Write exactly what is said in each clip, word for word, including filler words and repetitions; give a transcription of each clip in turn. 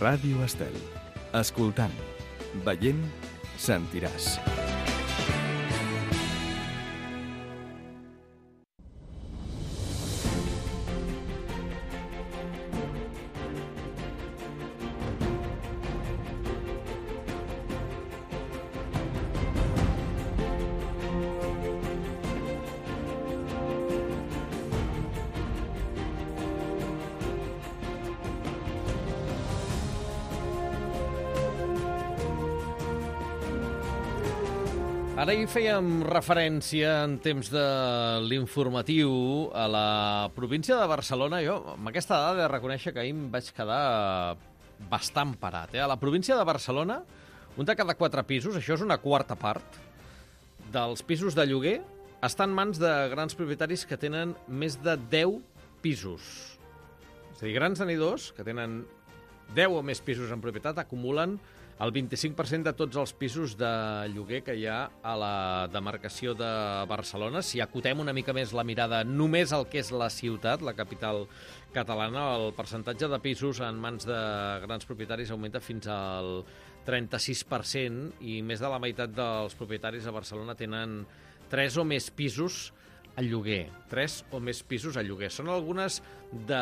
Ràdio Estel. Escoltant, veient, sentiràs. Ara hi fèiem referència en temps de l'informatiu a la província de Barcelona. Jo, amb aquesta dada, he de reconèixer que ahir em vaig quedar bastant parat. Eh? A la província de Barcelona, un de cada quatre pisos, això és una quarta part, dels pisos de lloguer està en mans de grans propietaris que tenen més de deu pisos. És a dir, grans tenidors que tenen deu o més pisos en propietat acumulen el vint-i-cinc per cent de tots els pisos de lloguer que hi ha a la demarcació de Barcelona. Si acotem una mica més la mirada només al que és la ciutat, la capital catalana, el percentatge de pisos en mans de grans propietaris augmenta fins al trenta-sis per cent i més de la meitat dels propietaris a Barcelona tenen tres o més pisos a lloguer. Tres o més pisos a lloguer. Són algunes de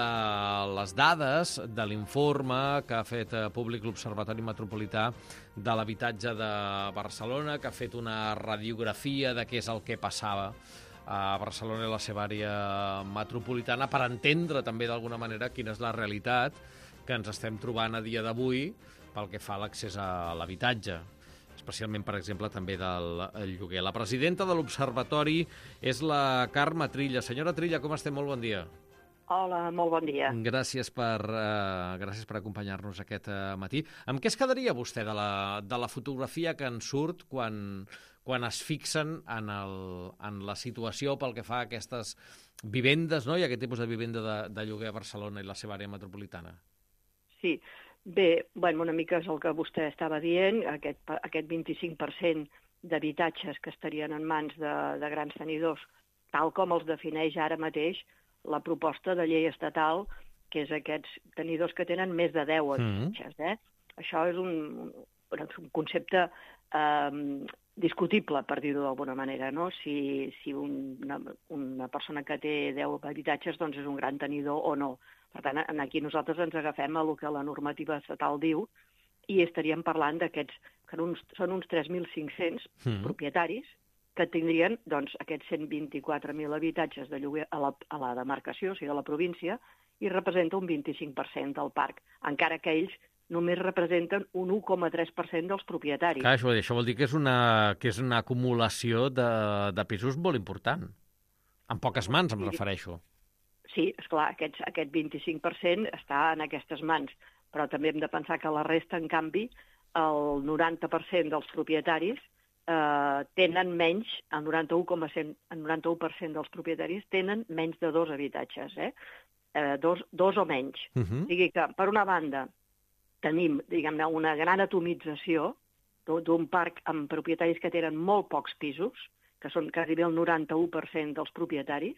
les dades de l'informe que ha fet públic l'Observatori Metropolità de l'Habitatge de Barcelona, que ha fet una radiografia de què és el que passava a Barcelona i la seva àrea metropolitana per entendre també d'alguna manera quina és la realitat que ens estem trobant a dia d'avui pel que fa a l'accés a l'habitatge, especialment, per exemple, també del lloguer. La presidenta de l'Observatori és la Carme Trilla. Senyora Trilla, com estem? Molt bon dia. Hola, molt bon dia. Gràcies per, uh, gràcies per acompanyar-nos aquest uh, matí. Amb què es quedaria vostè de la, de la fotografia que en surt quan, quan es fixen en, el, en la situació pel que fa a aquestes vivendes, no? I aquest tipus de vivenda de, de lloguer a Barcelona i la seva àrea metropolitana? Sí. Bé, bueno, una mica és el que vostè estava dient, aquest, aquest vint-i-cinc per cent d'habitatges que estarien en mans de, de grans tenidors, tal com els defineix ara mateix la proposta de llei estatal, que és aquests tenidors que tenen més de deu habitatges. Eh? Això és un, un, un concepte eh, discutible, per dir-ho d'alguna manera, no? Si, si una, una persona que té deu habitatges doncs és un gran tenidor o no. Per tant, aquí nosaltres ens agafem a el que la normativa estatal diu i estaríem parlant d'aquests, que uns, són uns tres mil cinc-cents mm. propietaris que tindrien doncs, aquests cent vint-i-quatre mil habitatges de lloguer a la, a la demarcació, o sigui, a la província, i representa un vint-i-cinc per cent del parc, encara que ells només representen un u coma tres per cent dels propietaris. Clar, això, això vol dir que és una, que és una acumulació de, de pisos molt important. En poques mans, em refereixo. Sí, esclar, aquest, aquest vint-i-cinc per cent està en aquestes mans, però també hem de pensar que la resta, en canvi, el noranta per cent dels propietaris eh, tenen menys, el noranta-u coma cent, el noranta-u per cent dels propietaris tenen menys de dos habitatges, eh? Eh, dos, dos o menys. Uh -huh. O sigui que, per una banda, tenim, diguem-ne, una gran atomització d'un parc amb propietaris que tenen molt pocs pisos, que són quasi el noranta-u per cent dels propietaris,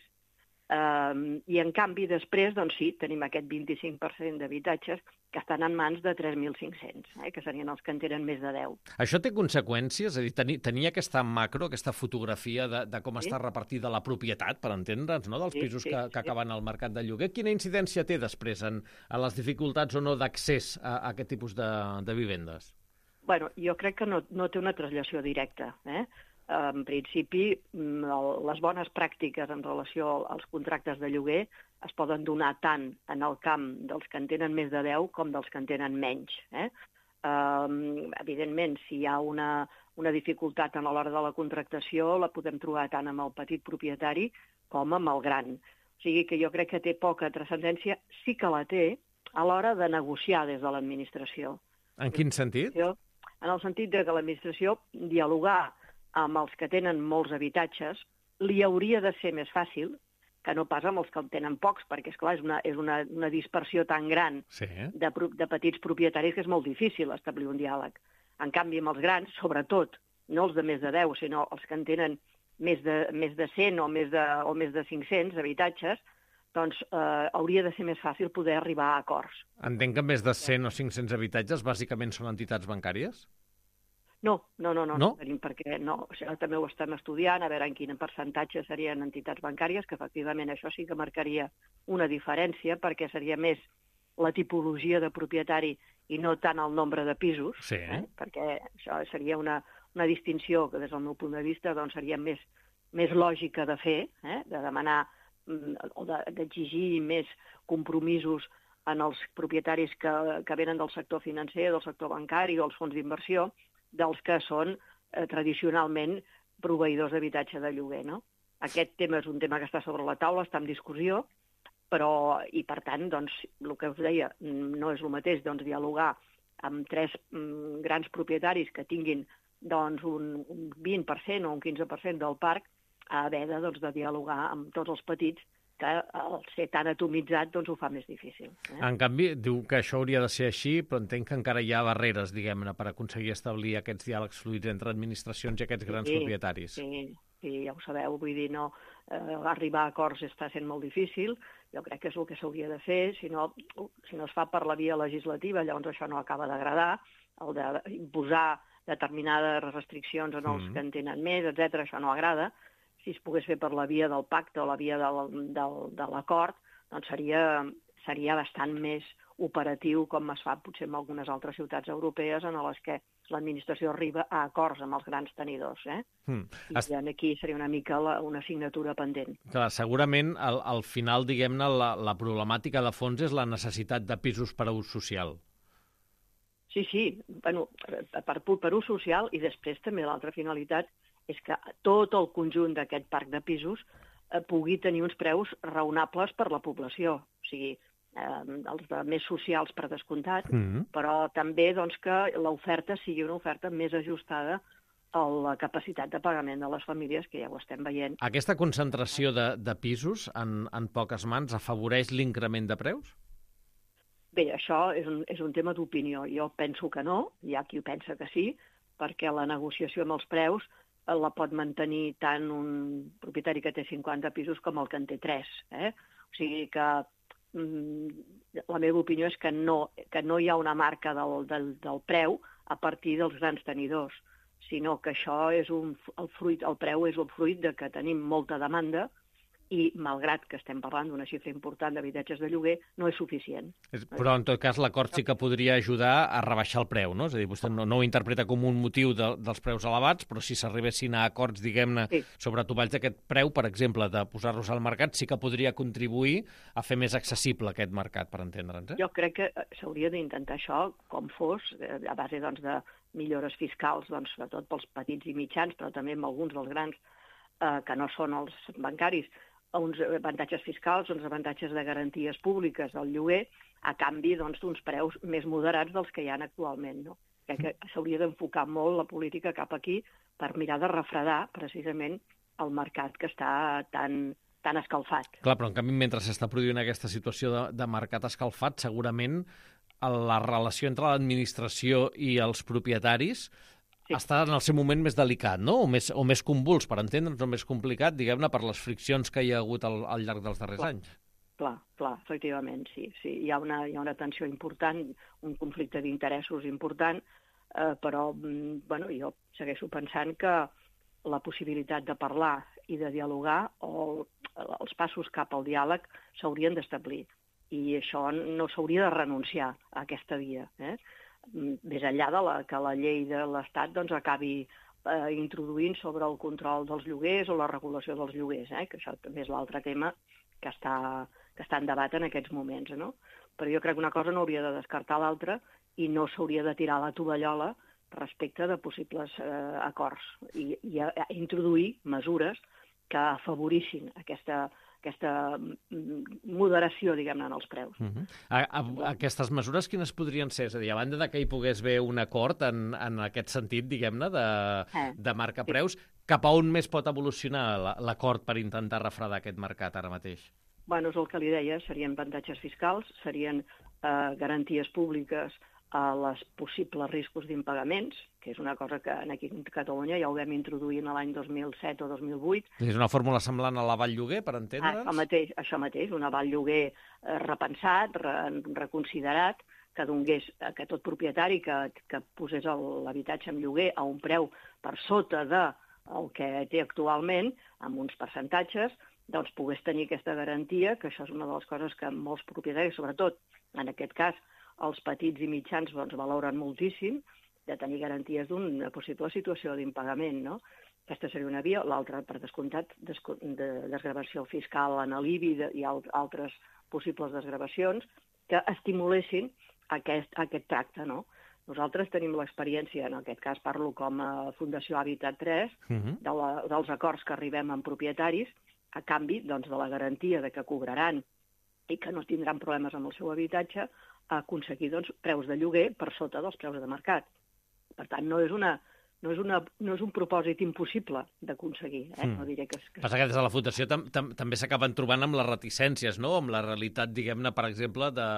Uh, i en canvi després, doncs sí, tenim aquest vint-i-cinc per cent d'habitatges que estan en mans de tres mil cinc-cents, eh, que serien els que en tenen més de deu. Això té conseqüències? És a dir, tenir, tenir aquesta macro, aquesta fotografia de, de com sí. està repartida la propietat, per entendre'ns, no?, dels sí, pisos sí, que, que sí. acaben al mercat de lloguer. Quina incidència té després en, en les dificultats o no d'accés a, a aquest tipus de, de vivendes? Bueno, jo crec que no, no té una traslació directa, eh? En principi, les bones pràctiques en relació als contractes de lloguer es poden donar tant en el camp dels que en tenen més de deu com dels que en tenen menys. Eh? Um, evidentment, si hi ha una, una dificultat a l'hora de la contractació, la podem trobar tant amb el petit propietari com amb el gran. O sigui que jo crec que té poca transcendència, sí que la té a l'hora de negociar des de l'administració. En quin sentit? En el sentit de que l'administració dialogar amb els que tenen molts habitatges li hauria de ser més fàcil que no pas amb els que en tenen pocs, perquè, esclar, és una, és una, una dispersió tan gran sí. de, de petits propietaris que és molt difícil establir un diàleg. En canvi, amb els grans, sobretot, no els de més de deu, sinó els que en tenen més de, més de cent o més de, o més de cinc-cents habitatges, doncs eh, hauria de ser més fàcil poder arribar a acords. Entenc que més de cent o cinc-cents habitatges bàsicament són entitats bancàries? No, no, no, no, no? tenim perquè no. O sigui, també ho estem estudiant, a veure en quin percentatge serien entitats bancàries, que efectivament això sí que marcaria una diferència, perquè seria més la tipologia de propietari i no tant el nombre de pisos, sí. eh? Perquè això seria una, una distinció que des del meu punt de vista doncs, seria més, més lògica de fer, eh? De demanar o d'exigir més compromisos en els propietaris que, que venen del sector financer, del sector bancari o els fons d'inversió, dels que són eh, tradicionalment proveïdors d'habitatge de lloguer, no? Aquest tema és un tema que està sobre la taula, està en discussió, però, i per tant, doncs, el que us deia, no és el mateix doncs, dialogar amb tres mm, grans propietaris que tinguin doncs, un, un vint per cent o un quinze per cent del parc, a haver de, doncs, de dialogar amb tots els petits, que al ser tan atomitzat doncs, ho fa més difícil. Eh? En canvi, diu que això hauria de ser així, però entenc que encara hi ha barreres, diguem-ne, per aconseguir establir aquests diàlegs fluids entre administracions i aquests grans sí, propietaris. Sí, sí, ja ho sabeu, vull dir, no, eh, arribar a acords està sent molt difícil, jo crec que és el que s'hauria de fer, si no, si no es fa per la via legislativa, llavors això no acaba d'agradar, el d'imposar determinades restriccions en els mm. que en tenen més, etcètera, això no agrada. Si es pogués fer per la via del pacte o la via del, del, de l'acord, doncs seria, seria bastant més operatiu, com es fa potser en algunes altres ciutats europees en les que l'administració arriba a acords amb els grans tenidors. Eh? Mm. I aquí seria una mica la, una assignatura pendent. Clar, segurament, al, al final, diguem-ne, la, la problemàtica de fons és la necessitat de pisos per a ús social. Sí, sí, bueno, per, per ús social, i després també l'altra finalitat és que tot el conjunt d'aquest parc de pisos eh, pugui tenir uns preus raonables per la població. O sigui, eh, els de més socials per descomptat, mm-hmm. però també doncs, que l'oferta sigui una oferta més ajustada a la capacitat de pagament de les famílies, que ja ho estem veient. Aquesta concentració de, de pisos en, en poques mans afavoreix l'increment de preus? Bé, això és un, és un tema d'opinió. Jo penso que no, hi ha qui pensa que sí, perquè la negociació amb els preus la pot mantenir tant un propietari que té cinquanta pisos com el que en té tres. Eh? O sigui que mm, la meva opinió és que no, que no hi ha una marca del, del, del preu a partir dels grans tenidors, sinó que això és un, el, fruit, el preu és el fruit de que tenim molta demanda i, malgrat que estem parlant d'una xifra important d'habitatges de lloguer, no és suficient. Però, en tot cas, l'acord sí que podria ajudar a rebaixar el preu, no? És a dir, vostè no, no ho interpreta com un motiu de, dels preus elevats, però si s'arribessin a acords, diguem-ne, sí. sobre tovalls d'aquest preu, per exemple, de posar-los al mercat, sí que podria contribuir a fer més accessible aquest mercat, per entendre'ns. Eh? Jo crec que s'hauria d'intentar això, com fos, a base doncs, de millores fiscals, doncs, sobretot pels petits i mitjans, però també amb alguns dels grans eh, que no són els bancaris, uns avantatges fiscals, uns avantatges de garanties públiques del lloguer, a canvi doncs, d'uns preus més moderats dels que hi ha actualment. No? Crec que s'hauria d'enfocar molt la política cap aquí per mirar de refredar precisament el mercat que està tan, tan escalfat. Clar, però en canvi, mentre s'està produint aquesta situació de, de mercat escalfat, segurament la relació entre l'administració i els propietaris sí. està en el seu moment més delicat, no? O més, o més convuls, per entendre'ns, o més complicat, diguem-ne, per les friccions que hi ha hagut al, al llarg dels darrers clar, anys. Clar, clar, efectivament, sí. sí. Hi ha una, hi ha una tensió important, un conflicte d'interessos important, eh, però bueno, jo segueixo pensant que la possibilitat de parlar i de dialogar o els passos cap al diàleg s'haurien d'establir. I això no s'hauria de renunciar a aquesta via, eh? Més enllà de la, que la llei de l'Estat doncs, acabi eh, introduint sobre el control dels lloguers o la regulació dels lloguers, eh? Que això també és l'altre tema que està, que està en debat en aquests moments. No? Però jo crec que una cosa no hauria de descartar l'altra i no s'hauria de tirar la tovallola respecte de possibles eh, acords i, i a, a introduir mesures que afavorissin aquesta, aquesta moderació, diguem-ne, en els preus. Uh-huh. a, a, aquestes mesures quines podrien ser? És a dir, a banda de que hi pogués haver un acord en, en aquest sentit, diguem-ne, de, eh, de marca sí. preus, cap a on més pot evolucionar l'acord per intentar refredar aquest mercat ara mateix? Bueno, és el que li deia, serien avantatges fiscals, serien eh, garanties públiques a les possibles riscos d'impagaments, que és una cosa que aquí a Catalunya ja ho vam introduir l'any dos mil set o dos mil vuit. És una fórmula semblant a l'aval lloguer, per entendre'ns? Això mateix, això mateix, un aval lloguer eh, repensat, re, reconsiderat, que donés que tot propietari que, que posés l'habitatge en lloguer a un preu per sota de el que té actualment, amb uns percentatges, doncs pogués tenir aquesta garantia, que això és una de les coses que molts propietaris, sobretot en aquest cas els petits i mitjans, doncs valoren moltíssim, de tenir garanties d'una possible situació d'impagament, no? Aquesta seria una via. L'altra, per descomptat, de desgravació fiscal en l'I B I i altres possibles desgravacions que estimulessin aquest, aquest tracte, no? Nosaltres tenim l'experiència, en aquest cas parlo com a Fundació Habitat tres, uh-huh. de la, dels acords que arribem amb propietaris, a canvi doncs, de la garantia de que cobraran i que no tindran problemes amb el seu habitatge, a aconseguir doncs, preus de lloguer per sota dels preus de mercat. Per tant, no és, una, no és, una, no és un propòsit impossible d'aconseguir. Eh? Mm. No diré que... que... Passa que des de la Fundació tam tam també s'acaben trobant amb les reticències, no? Amb la realitat, diguem-ne, per exemple, de,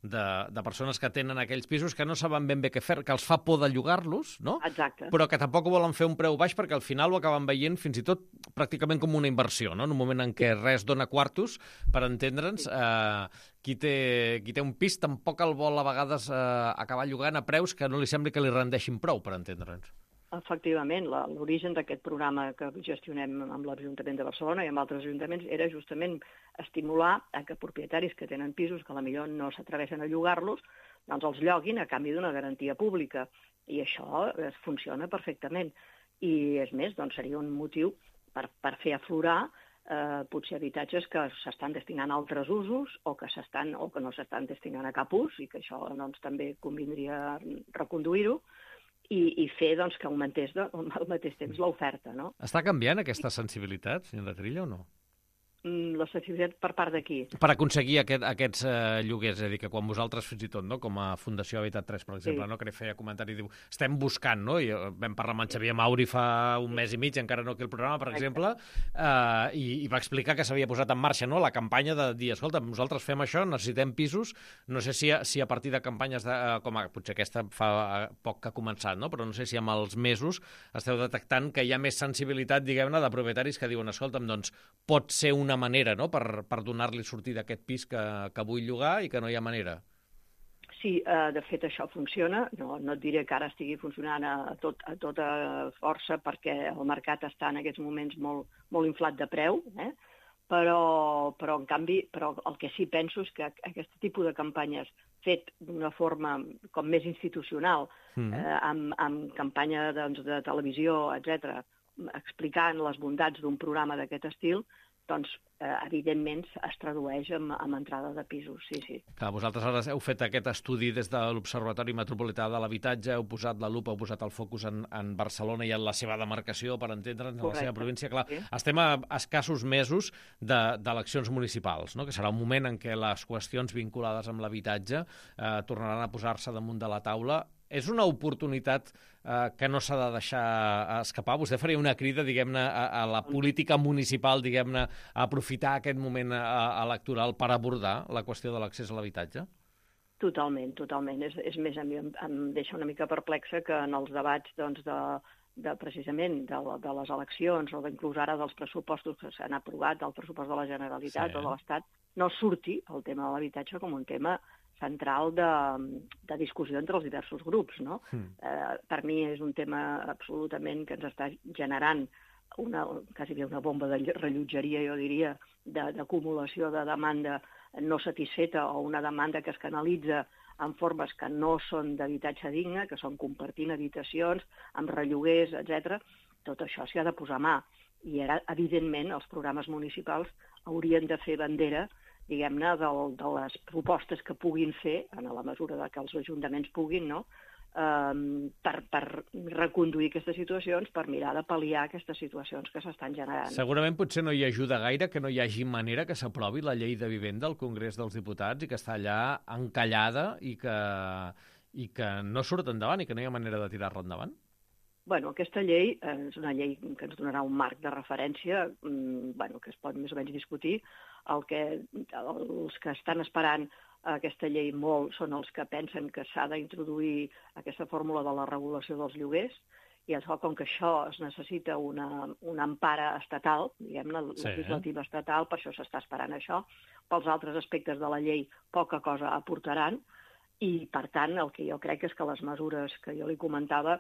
de, de persones que tenen aquells pisos que no saben ben bé què fer, que els fa por de llogar-los, no? Exacte. Però que tampoc volen fer un preu baix perquè al final ho acaben veient fins i tot pràcticament com una inversió, no? En un moment en què res dona quartos, per entendre'ns, eh, qui té, qui té un pis tampoc el vol a vegades eh, acabar llogant a preus que no li sembli que li rendeixin prou, per entendre'ns. Efectivament, l'origen d'aquest programa que gestionem amb l'Ajuntament de Barcelona i amb altres ajuntaments era justament estimular a que propietaris que tenen pisos que potser no s'atreveixen a llogar-los, doncs els lloguin a canvi d'una garantia pública. I això funciona perfectament. I, és més, doncs seria un motiu per, per fer aflorar Eh, potser habitatges que s'estan destinant a altres usos o que, o que no s'estan destinant a cap ús i que això doncs, també convindria reconduir-ho i, i fer doncs, que augmentés de, al mateix temps l'oferta. No? Està canviant aquesta sensibilitat, senyora Trilla, o no? La sensibilitat per part d'aquí? Per aconseguir aquest, aquests eh, lloguers, és a dir, que quan vosaltres fins i tot, no, com a Fundació Habitat tres, per exemple, sí. no, que feia comentari, diu, estem buscant, no, i vam parlar amb en Xavier Mauri fa un mes i mig, encara no aquí el programa, per exemple, eh, i, i va explicar que s'havia posat en marxa, no, la campanya de dir, escolta, nosaltres fem això, necessitem pisos, no sé si a, si a partir de campanyes, de, eh, com a, potser aquesta fa poc que ha començat, no, però no sé si amb els mesos esteu detectant que hi ha més sensibilitat, diguem-ne, de propietaris que diuen, escolta'm, doncs pot ser una manera, no?, per, per donar-li sortida a aquest pis que, que vull llogar i que no hi ha manera. Sí, eh, de fet això funciona. No, no et diré que ara estigui funcionant a, tot, a tota força perquè el mercat està en aquests moments molt, molt inflat de preu, eh? però, però en canvi però el que sí penso és que aquest tipus de campanyes fet d'una forma com més institucional, mm. eh, amb, amb campanya doncs, de televisió, etcètera, explicant les bondats d'un programa d'aquest estil, doncs, eh, evidentment, es tradueix amb, amb entrada de pisos, sí, sí. Clar, vosaltres ara heu fet aquest estudi des de l'Observatori Metropolità de l'Habitatge, heu posat la lupa, heu posat el focus en, en Barcelona i en la seva demarcació, per entendre'ns, en la seva província. Clar, sí. Estem a escassos mesos d'eleccions de, municipals, no?, que serà un moment en què les qüestions vinculades amb l'habitatge eh, tornaran a posar-se damunt de la taula. És una oportunitat eh, que no s'ha de deixar escapar? Vostè faria una crida, diguem-ne, a, a la política municipal, diguem-ne, a aprofitar aquest moment a, a electoral per abordar la qüestió de l'accés a l'habitatge? Totalment, totalment. És, és més, a mi em, em deixa una mica perplexa que en els debats doncs, de, de precisament de, de les eleccions o inclús ara dels pressupostos que s'han aprovat, del pressupost de la Generalitat sí. o de l'Estat, no surti el tema de l'habitatge com un tema central de, de discussió entre els diversos grups, no? Mm. Eh, per mi és un tema absolutament que ens està generant una, quasi bé una bomba de rellotgeria, jo diria, d'acumulació de, de demanda no satisfeta o una demanda que es canalitza en formes que no són d'habitatge digne, que són compartint habitacions, amb relloguers, etcètera. Tot això s'hi ha de posar mà. I ara, evidentment, els programes municipals haurien de fer bandera diguem-ne, de, de les propostes que puguin fer, en la mesura de que els ajuntaments puguin, no?, um, per, per reconduir aquestes situacions, per mirar de pal·liar aquestes situacions que s'estan generant. Segurament potser no hi ajuda gaire que no hi hagi manera que s'aprovi la llei de vivenda al Congrés dels Diputats i que està allà encallada i que, i que no surt endavant i que no hi ha manera de tirar-la endavant? Bueno, aquesta llei eh, és una llei que ens donarà un marc de referència mmm, bueno, que es pot més o menys discutir. El que, els que estan esperant aquesta llei molt són els que pensen que s'ha d'introduir aquesta fórmula de la regulació dels lloguers, i això, com que això es necessita una, una empara estatal, diguem-ne, Sí. legislativa estatal, per això s'està esperant això. Pels altres aspectes de la llei poca cosa aportaran, i, per tant, el que jo crec és que les mesures que jo li comentava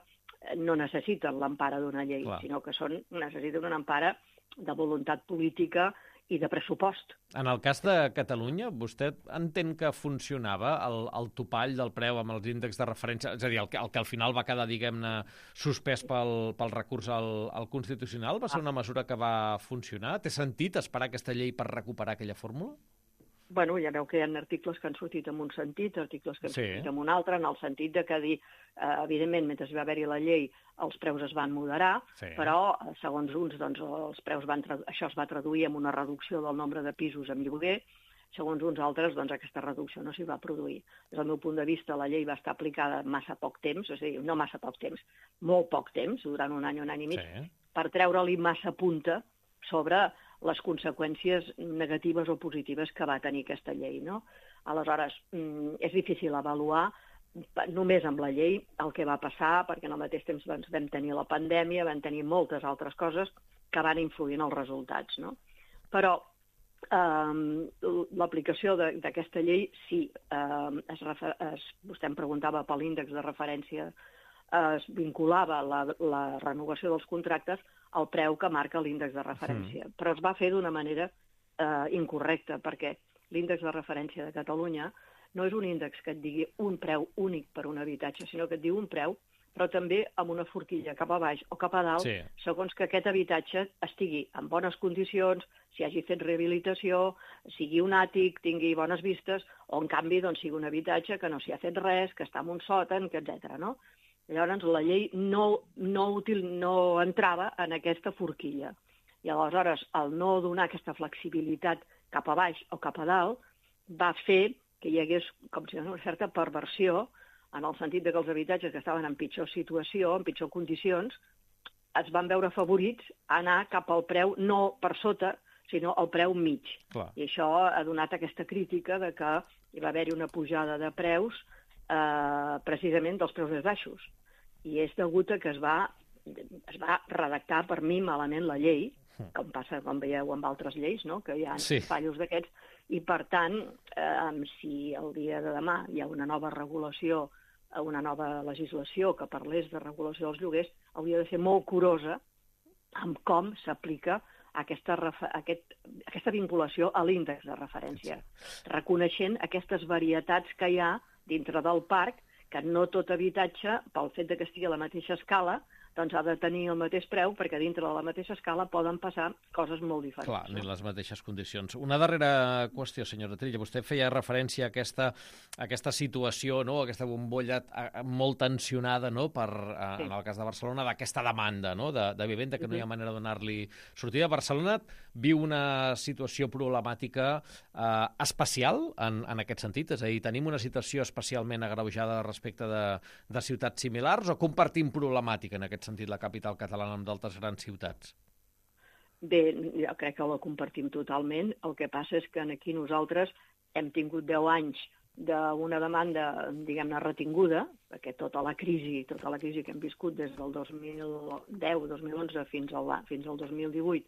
no necessiten l'empara d'una llei, Clar. sinó que són, necessiten una empara de voluntat política i de pressupost. En el cas de Catalunya, vostè entén que funcionava el, el topall del preu amb els índexs de referència, és a dir, el que, el que al final va quedar, diguem-ne, suspès pel, pel recurs al, al Constitucional? Va ser una mesura que va funcionar? Té sentit esperar aquesta llei per recuperar aquella fórmula? Bueno, ja veu que hi ha articles que han sortit en un sentit, articles que han Sí. sortit en un altre, en el sentit de que dir, eh, evidentment, mentre hi va haver-hi la llei, els preus es van moderar, Sí. però, eh, segons uns, doncs, els preus van tradu- això es va traduir en una reducció del nombre de pisos en lloguer, segons uns altres, doncs, aquesta reducció no s'hi va produir. Des del meu punt de vista, la llei va estar aplicada massa poc temps, és a dir, no massa poc temps, molt poc temps, durant un any, un any i mig, Sí. per treure-li massa punta sobre les conseqüències negatives o positives que va tenir aquesta llei, no? Aleshores, és difícil avaluar només amb la llei el que va passar, perquè al mateix temps doncs, vam tenir la pandèmia, vam tenir moltes altres coses que van influir en els resultats, no? Però eh, l'aplicació d'aquesta llei, sí, eh, es refer, es, vostè em preguntava per l'índex de referència, es vinculava la, la renovació dels contractes al preu que marca l'índex de referència. Mm. Però es va fer d'una manera eh, incorrecta, perquè l'índex de referència de Catalunya no és un índex que et digui un preu únic per un habitatge, sinó que et diu un preu, però també amb una forquilla cap a baix o cap a dalt, Sí. segons que aquest habitatge estigui en bones condicions, si hagi fet rehabilitació, sigui un àtic, tingui bones vistes, o en canvi doncs, sigui un habitatge que no s'hi ha fet res, que està en un sòtan, etcètera, no? Llavors, la llei no, no, util, no entrava en aquesta forquilla. I aleshores, el no donar aquesta flexibilitat cap a baix o cap a dalt va fer que hi hagués com si una certa perversió en el sentit de que els habitatges que estaven en pitjor situació, en pitjor condicions, es van veure afavorits a anar cap al preu no per sota, sinó al preu mig. Clar. I això ha donat aquesta crítica de que hi va haver-hi una pujada de preus eh, precisament dels preus més baixos. I és degut a que es va, es va redactar per mi malament la llei, com passa, com veieu, amb altres lleis, no? Que hi ha Sí. fallos d'aquests, i per tant, eh, si el dia de demà hi ha una nova regulació, una nova legislació que parlés de regulació dels lloguers, hauria de ser molt curosa amb com s'aplica aquesta, aquest, aquesta vinculació a l'índex de referència, reconeixent aquestes varietats que hi ha dintre del parc, que no tot habitatge, pel fet de que estigui a la mateixa escala, doncs ha de tenir el mateix preu, perquè dintre de la mateixa escala poden passar coses molt diferents. Clar, ni les mateixes condicions. Una darrera qüestió, senyora Trilla. Vostè feia referència a aquesta, a aquesta situació, no? Aquesta bombolla molt tensionada, no? Per, sí. En el cas de Barcelona, d'aquesta demanda, no? de, de vivenda, que no hi ha manera de donar-li sortida. Barcelona viu una situació problemàtica eh, especial en, en aquest sentit? És a dir, tenim una situació especialment agreujada respecte de, de ciutats similars o compartim problemàtica en aquest sentit la capital catalana amb d'altres grans ciutats? Bé, jo crec que la compartim totalment. El que passa és que aquí nosaltres hem tingut deu anys d'una demanda, diguem-ne, retinguda, perquè tota la crisi, tota la crisi que hem viscut des del dos mil deu dos mil onze fins al, fins al dos mil divuit,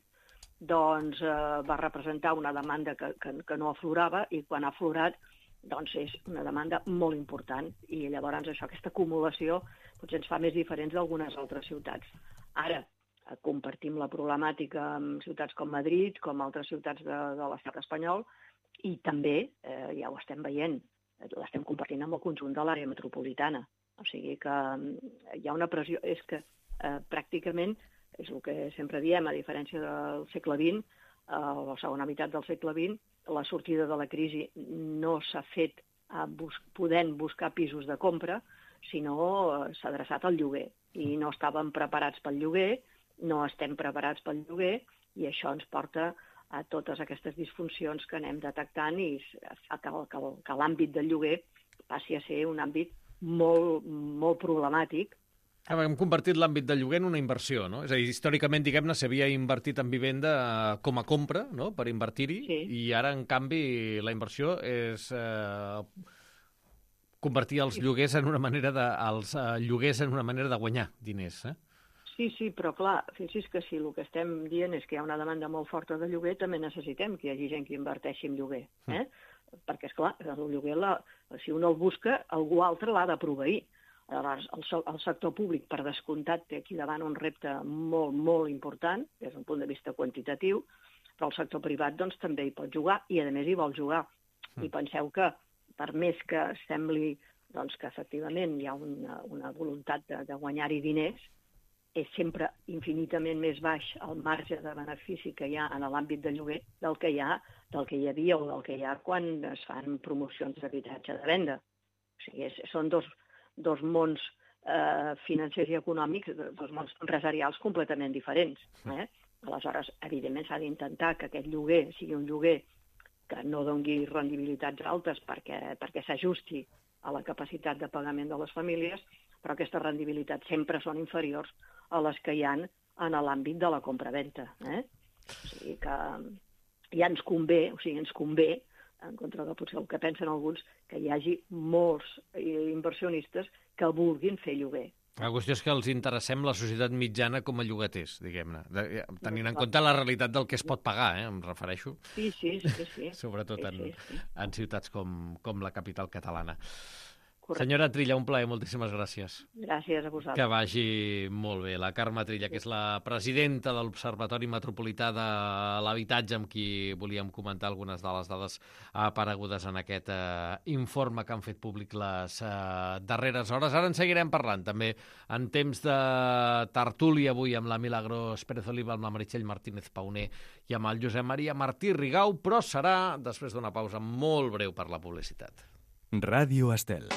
doncs eh, va representar una demanda que, que, que no aflorava, i quan ha aflorat doncs és una demanda molt important, i llavors això, aquesta acumulació potser ens fa més diferents d'algunes altres ciutats. Ara, compartim la problemàtica amb ciutats com Madrid, com altres ciutats de, de l'estat espanyol, i també, eh, ja ho estem veient, l'estem compartint amb el conjunt de l'àrea metropolitana. O sigui que hi ha una pressió, és que eh, pràcticament, és el que sempre diem, a diferència del segle vint, eh, la segona meitat del segle vint, la sortida de la crisi no s'ha fet a bus podent buscar pisos de compra, sinó s'ha adreçat al lloguer. I no estàvem preparats pel lloguer, no estem preparats pel lloguer, i això ens porta a totes aquestes disfuncions que anem detectant i fa que, que, que l'àmbit del lloguer passi a ser un àmbit molt, molt problemàtic Hem convertit l'àmbit de lloguer en una inversió, no? És a dir, històricament, diguem-ne, s'havia invertit en vivenda com a compra, no?, per invertir-hi, sí. I ara, en canvi, la inversió és eh, convertir els lloguers en una manera de, els eh, lloguers en una manera de guanyar diners, eh? Sí, sí, però clar, fixi's que si el que estem dient és que hi ha una demanda molt forta de lloguer, també necessitem que hi hagi gent que inverteixi en lloguer, eh? Mm. Perquè, esclar, el lloguer, la, si un el busca, algú altre l'ha de proveir. Aleshores, el, el sector públic, per descomptat, té aquí davant un repte molt, molt important, des d'un punt de vista quantitatiu, però el sector privat doncs, també hi pot jugar, i a més hi vol jugar. Mm. I penseu que, per més que sembli doncs, que efectivament hi ha una, una voluntat de, de guanyar-hi diners, és sempre infinitament més baix el marge de benefici que hi ha en l'àmbit de lloguer del que hi ha, del que hi havia o del que hi ha quan es fan promocions d'habitatge de venda. O sigui, és, són dos, dos mons eh, financers i econòmics, dos mons empresarials completament diferents. Eh? Aleshores, evidentment, s'ha d'intentar que aquest lloguer sigui un lloguer que no doni rendibilitats altes perquè, perquè s'ajusti a la capacitat de pagament de les famílies, però aquestes rendibilitats sempre són inferiors a les que hi ha en l'àmbit de la compra-venta. Eh? O sigui que ja ens convé, o sigui, ens convé, en contra de potser el que pensen alguns, que hi hagi molts inversionistes que vulguin fer lloguer. La qüestió és que els interessem la societat mitjana com a llogaters, diguem-ne, tenint en compte la realitat del que es pot pagar, eh, em refereixo. Sí, sí, sí. sí. Sobretot sí, en, sí, sí. en ciutats com, com la capital catalana. Correcte. Senyora Trilla, un plaer, moltíssimes gràcies. Gràcies a vosaltres. Que vagi molt bé. La Carme Trilla, que és la presidenta de l'Observatori Metropolità de l'Habitatge, amb qui volíem comentar algunes de les dades aparegudes en aquest eh, informe que han fet públic les eh, darreres hores. Ara en seguirem parlant, també en temps de tertúlia avui amb la Milagros Pérez Oliva, amb la Meritxell Martínez Pauner i amb el Josep Maria Martí Rigau, però serà després d'una pausa molt breu per la publicitat. Ràdio Estel.